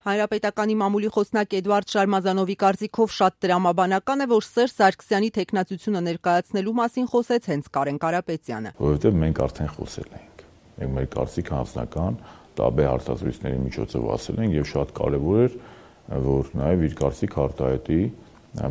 Հանրապետականի մամուլի խոսնակ Էդվարդ Շարմազանովի կարծիքով շատ տրամաբանական է, որ Սերժ Սարգսյանի թեկնածությունը ներկայացնելու մասին խոսեց հենց Կարեն Կարապետյանը։ Որովհետև մենք արդեն խոսել ենք։ Մենք մեր կարծիքը անձնական տարբեր հարցազրույցների միջոցով ասել ենք եւ շատ կարեւոր էր, որ նաեւ իր կարծիքը արտահայտի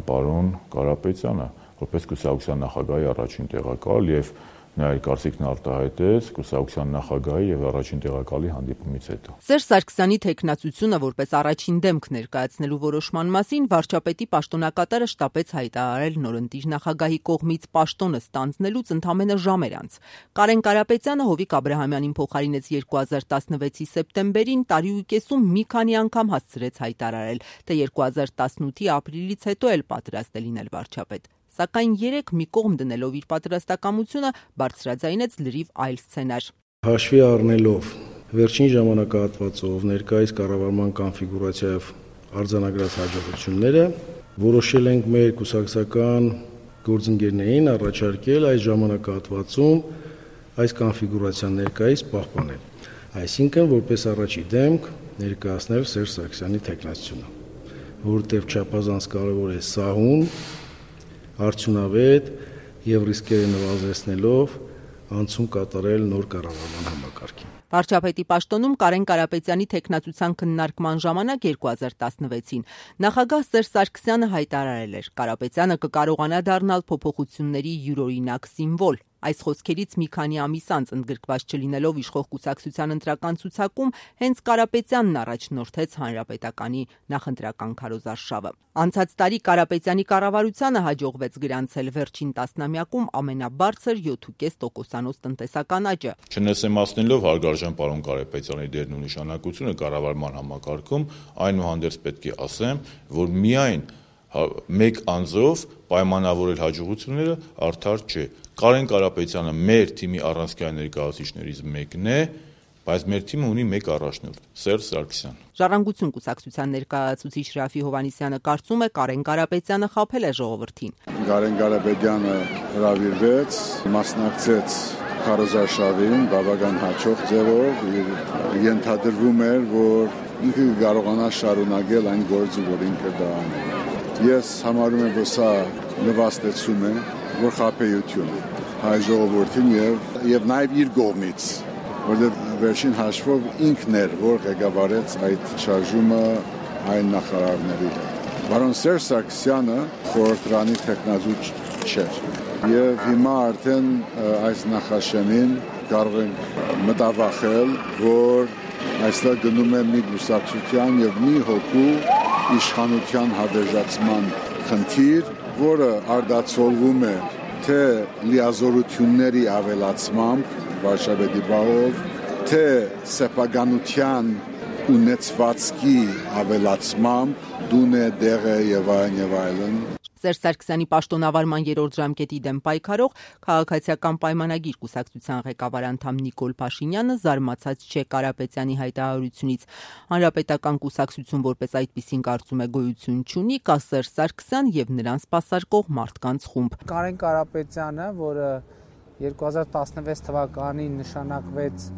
պարոն Կարապետյանը, որպես կուսակցության նախագահի առաջին տեղակալ եւ նա իր կարծիքն արտահայտեց կուսակցության նախագահի եւ առաջին տեղակալի հանդիպումից հետո։ Սերժ Սարգսյանի թեկնածությունը որպես առաջին դեմք ներկայացնելու որոշման մասին վարչապետի պաշտոնակատարը շտապեց հայտարարել նորընտիր նախագահի կողմից պաշտոնը ստանձնելուց ընդամենը ժամեր անց։ Կարեն Կարապետյանը Հովիկ Աբրահամյանին փոխարինեց 2016-ի սեպտեմբերին, տարի ու կեսում մի քանի անգամ հասցրեց հայտարարել, թե 2018-ի ապրիլից հետո էլ պատրաստ է լինել վարչապետ։ Սակայն երեք մի կողմ դնելով իր պատրաստակամությունը բարձրաձայնեց լրիվ այլ սցենար։ Հաշվի առնելով վերջին ժամանակահատվածով ներկայիս կառավարման կոնֆիգուրացիայով արձանագրած հաջողությունները, որոշել ենք մեր կուսակցական գործընկերներին առաջարկել այս ժամանակահատվածում այս կոնֆիգուրացիան ներկայիս պահպանել։ Այսինքն, որպես առաջի դեմք ներկայացնել Սերժ Սարգսյանի թեկնածությունը, որովհետև չափազանց կարևոր է սահուն, արդյունավետ եւ ռիսկերը նվազեցնելով անցում կատարել նոր կառավարման համակարգին։ Վարչապետի պաշտոնում Կարեն Կարապետյանի թեկնածության քննարկման ժամանակ 2016-ին նախագահ Սերժ Սարգսյանը հայտարարել էր. Կարապետյանը կկարողանա դառնալ փոփոխությունների յուրօրինակ սիմվոլ։ Այս խոսքերից մի քանի ամիս անց ընդգրկված չլինելով իշխող կուսակցության ընտրական ցուցակում հենց Կարապետյանն առաջնորդեց հանրապետականի նախընտրական քարոզարշավը։ Անցած տարի Կարապետյանի կառավարությանը հաջողվեց գրանցել վերջին տասնամյակում ամենաբարձր 7.5% տնտեսական աճը։ Չնեսեմացնելով հարգարժան պարոն Կարապետյանի դերն ու նշանակությունը կառավարման համակարգում, այնուհանդերձ պետք է ասեմ, որ միայն մեկ անձով պայմանավորել հաջողությունները արդար չէ։ Կարեն Կարապետյանը մեր թիմի առանցքային ներկայացուցիչներից մեկն է, բայց մեր թիմը ունի մեկ առաջնորդ՝ Սերժ Սարգսյան։ Ժառանգություն կուսակցության ներկայացուցիչ Ռաֆի Հովհաննիսյանը կարծում է Կարեն Կարապետյանը խաբել է ժողովրդին։ Կարեն Կարապետյանը հրավիրվեց, մասնակցեց քարոզարշավին բավական հաջող ձևով, ենթադրվում էր, որ ինքը կարողանա շարունակել այն գործը, որ ինքը դա անել։ Ես համարում եմ, որ սա նվաստեցում է, որ խաբեություն է հայ ժողովրդին եւ նաեւ իր կողմից, որովհետեւ վերջին հաշվով ինքն էր, որ ղեկավարեց այդ շարժումը այն նախարարների հետ։ Պարոն Սերժ Սարգսյանը խորհրդարանի թեկնածու չէր եւ հիմա արդեն այս նախաշեմին կարող ենք մտավախել, որ այստեղ գնում է մի կուսակցության եւ մի հոգու իշխանության հավերժացման խնդիր, որը արդացոլվում է թե լիազորությունների ավելացմամբ վարչապետի բաղով, թե սեփականության ունեցվածքի ավելացմամբ, դունե դեղը եւ այլն։ Սերժ Սարգսյանի պաշտոնավարման երրորդ ժամկետի դեմ պայքարող քաղաքացիական պայմանագիր կուսակցության ղեկավար անդամ Նիկոլ Փաշինյանը զարմացած չէ Կարապետյանի հայտարարությունից։ Հանրապետական կուսակցություն որպես այդպիսին կարծում է գոյություն չունի, կա Սերժ Սարգսյան եւ նրան սպասարկող մարդկանց խումբ։ Կարեն Կարապետյանը, որը 2016 թվականին նշանակվեց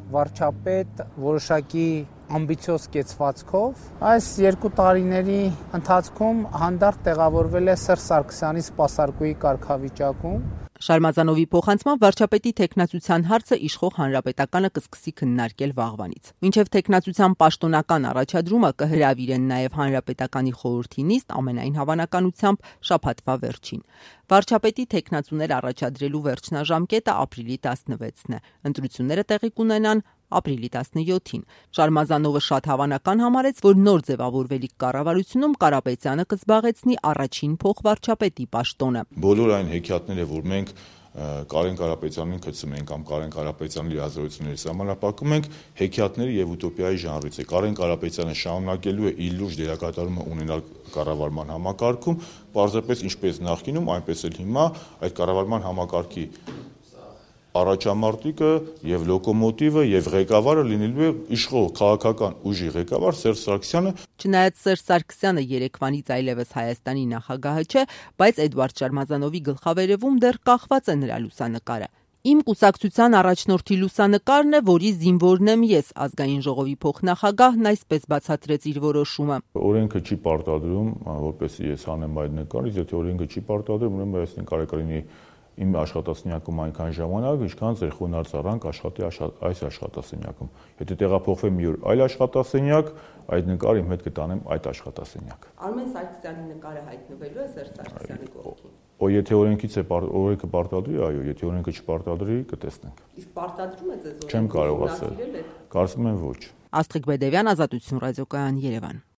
վարչապետ որոշակի ամբիցիոզ կեցվածքով, այս 2 տարիների ընթացքում հանդարտ տեղավորվել է Սերժ Սարգսյանի սպասարկուի կարգավիճակում։ Շարմազանովի փոխանցմամբ վարչապետի թեկնածության հարցը իշխող հանրապետականը կսկսի քննարկել վաղվանից։ Մինչև թեկնածության պաշտոնական առաջադրումը կհրավիրեն նաև հանրապետականի խորհրդի նիստ, ամենայն հավանականությամբ շաբաթվա վերջին։ Վարչապետի թեկնածուներ առաջադրելու վերջնաժամկետը ապրիլի 16-ն է։ Ընտրությունները տեղի կունենան ապրիլի 17-ին։ Շարմազանովը շատ հավանական համարեց, որ նոր ձևավորվելիք կառավարությունում Կարապետյանը կզբաղեցնի առաջին փոխվարչապետի պաշտոնը։ Բոլոր այն հեքիաթները, որ մենք Կարեն Կարապետյանին գցում ենք կամ Կարեն Կարապետյանի լիազորությունների սահմանափակում ենք, հեքիաթների եւ ուտոպիայի ժանրից է։ Կարեն Կարապետյանը շարունակելու է իր լուրջ դերակատարումը ունենալ կառավարման համակարգում, պարզապես ինչպես նախկինում, այնպես էլ հիմա այդ կառավարման համակարգի առաջամարտիկը եւ լոկոմոտիվը եւ ղեկավարը լինելու է իշխող քաղաքական ուժի ղեկավար Սերժ Սարգսյանը։ Չնայած Սերժ Սարգսյանը երեկվանից այլևս Հայաստանի նախագահը չէ, բայց Էդվարդ Շարմազանովի գլխավերևում դեռ կախված է նրա լուսանկարը։ Իմ կուսակցության առաջնորդի լուսանկարն է, որի զինվորն եմ ես, ազգային ժողովի փոխնախագահն այսպես բացատրեց իր որոշումը։ Օրենքը չի պարտադրում, որպեսզի ես անեմ այդ նկարից, եթե օրենքը չի պարտադրում, ուրեմն այս նկարը կլինի իմ աշխատասենյակում այնքան ժամանակ, ինչքան ձեր խոնարհ աշխատի այս աշխատասենյակում։ Եթե տեղափոխվեմ մի օր այլ աշխատասենյակ, այդ նկարը իմ հետ կտանեմ այդ աշխատասենյակ։ Արմեն Սարգսյանի նկարը հայտնվելու է Սերժ Սարգսյանի կողքին։ Եթե օրենքը պարտադրի, այո, եթե օրենքը չպարտադրի, կտեսնենք։ Իսկ պարտադրում է ձեզ օրենքը։ Չեմ կարող ասել։ Կարծում եմ ոչ։ Աստղիկ Բեդևյան, Ազատություն ռադիոկայան, Երևան։